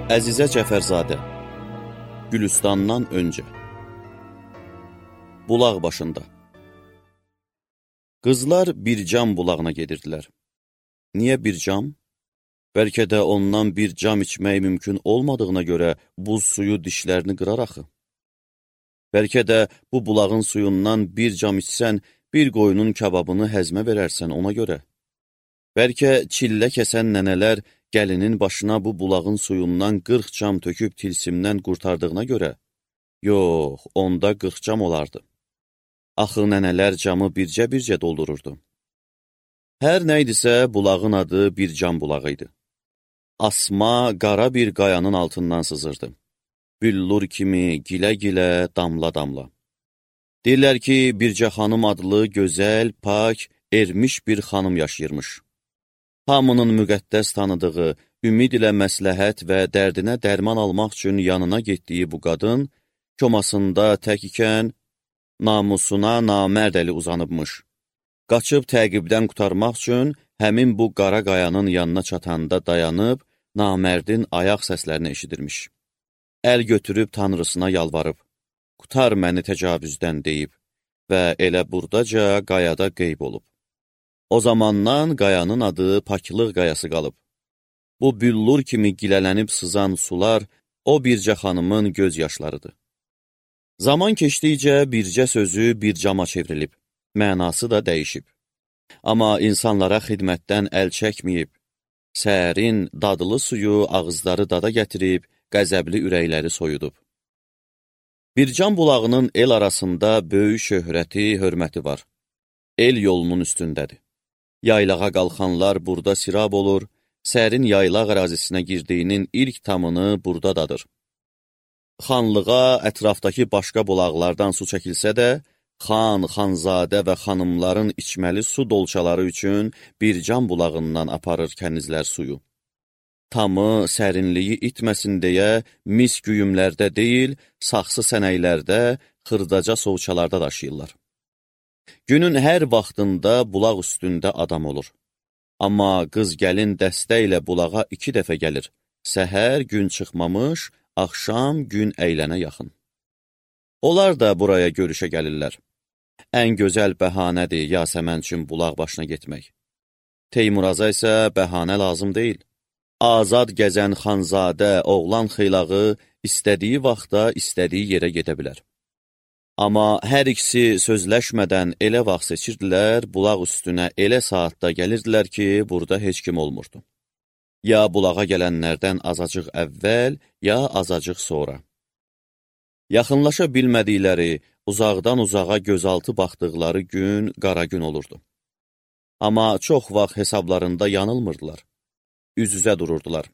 Əzizə Cəfərzadə, Gülüstandan öncə. Bulaq başında. Qızlar Bircam bulağına gedirdilər. Niyə Bircam? Bəlkə də ondan bir cam içmək mümkün olmadığına görə buz suyu dişlərini qırar axı. Bəlkə də bu bulağın suyundan bir cam içsən, bir qoyunun kababını həzmə verərsən ona görə. Bəlkə çillə kəsən nənələr gəlinin başına bu bulağın suyundan 40 cam töküb tilsimdən qurtardığına görə, yox, onda 40 cam olardı. Axı nənələr camı bircə-bircə doldururdu. Hər nəydisə bulağın adı Bircam bulağı idi. Asma, qara bir qayanın altından sızırdı. Büllur kimi gilə-gilə, damla-damla. Deyirlər ki, Bircə xanım adlı gözəl, pak, ermiş bir xanım yaşayırmış. Hamının müqəddəs tanıdığı, ümid ilə məsləhət və dərdinə dərman almaq üçün yanına getdiyi bu qadın, komasında tək ikən, namusuna namərd əli uzanıbmış. Qaçıb təqibdən qurtarmaq üçün həmin bu qara qayanın yanına çatanda dayanıb, namərdin ayaq səslərini eşidirmiş. Əl götürüb tanrısına yalvarıb, qutar məni təcavüzdən deyib və elə burdaca qayada qeyb olub. O zamandan qayanın adı Paklıq qayası qalıb. Bu büllur kimi gilələnib sızan sular o Bircə xanımın göz yaşlarıdır. Zaman keçdikcə Bircə sözü Bircama çevrilib, mənası da dəyişib. Amma insanlara xidmətdən əl çəkməyib, sərin, dadlı suyu ağızları dada gətirib, qəzəbli ürəkləri soyudub. Bircam bulağının el arasında böyük şöhrəti, hörməti var. El yolunun üstündədir. Yaylağa qalxanlar burada sirab olur, sərin yaylaq ərazisinə girdiyinin ilk tamını burada dadır. Xanlığa ətrafdakı başqa bulaqlardan su çəkilsə də, xan, xanzadə və xanımların içməli su dolçaları üçün Bircam bulağından aparır kənizlər suyu. Tamı, sərinliyi itməsin deyə mis güyümlərdə deyil, saxsı sənəklərdə, xırdaca sovçalarda daşıyırlar. Günün hər vaxtında bulaq üstündə adam olur. Amma qız gəlin dəstə ilə bulağa 2 dəfə gəlir. Səhər gün çıxmamış, axşam gün əylənə yaxın. Onlar da buraya görüşə gəlirlər. Ən gözəl bəhanədir Yasəmən üçün bulaq başına getmək. Teymuraza isə bəhanə lazım deyil. Azad gəzən xanzadə, oğlan xeylağı istədiyi vaxtda, istədiyi yerə gedə bilər. Amma hər ikisi sözləşmədən elə vaxt seçirdilər, bulaq üstünə elə saatda gəlirdilər ki, burada heç kim olmurdu. Ya bulağa gələnlərdən azacıq əvvəl, ya azacıq sonra. Yaxınlaşa bilmədikləri, uzaqdan uzağa gözaltı baxdıqları gün qara gün olurdu. Amma çox vaxt hesablarında yanılmırdılar. Üz-üzə dururdular.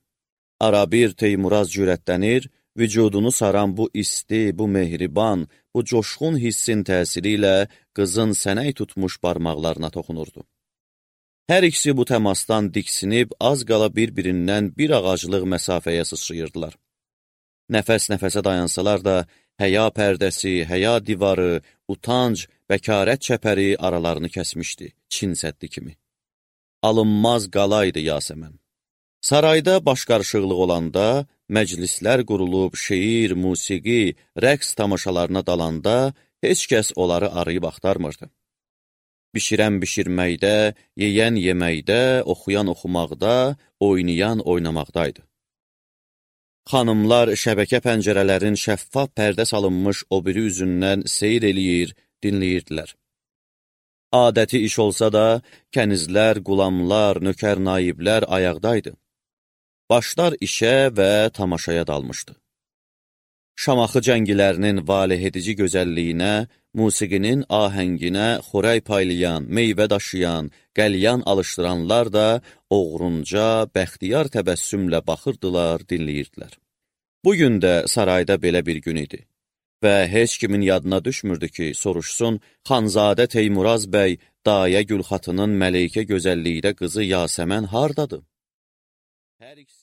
Arabir Teymuraz cürətlənir, vücudunu saran bu isti, bu mehriban, bu coşqun hissin təsiri ilə qızın sənək tutmuş barmaqlarına toxunurdu. Hər ikisi bu təmasdan diksinib, az qala bir-birindən bir ağaclıq məsafəyə sıçrayırdılar. Nəfəs-nəfəsə dayansalar da, həya pərdəsi, həya divarı, utanc, bəkarət çəpəri aralarını kəsmişdi, Çin səddi kimi. Alınmaz qalaydı Yasəmən. Sarayda baş qarışıqlıq olanda, məclislər qurulub, şeir, musiqi, rəqs tamaşalarına dalanda heç kəs onları arayıb axtarmırdı. Bişirən bişirməkdə, yeyən yeməkdə, oxuyan oxumaqda, oynayan oynamaqdaydı. Xanımlar şəbəkə pəncərələrin şəffaf pərdə salınmış o biri üzündən seyr eləyir, dinləyirdilər. Adəti iş olsa da, kənizlər, qulamlar, nökər naiblər ayaqdaydı. Başlar işə və tamaşaya dalmışdı. Şamaxı cəngilərinin valehedici gözəlliyinə, musiqinin ahənginə xorək paylayan, meyvə daşıyan, qəlyan alışdıranlar da oğrunca, bəxtiyar təbəssümlə baxırdılar, dinləyirdilər. Bugün də sarayda belə bir gün idi və heç kimin yadına düşmürdü ki, soruşsun, Xanzadə Teymuraz bəy, Dayə Gülxatının mələikə gözəlliyində qızı Yasəmən hardadır? Hər ikisi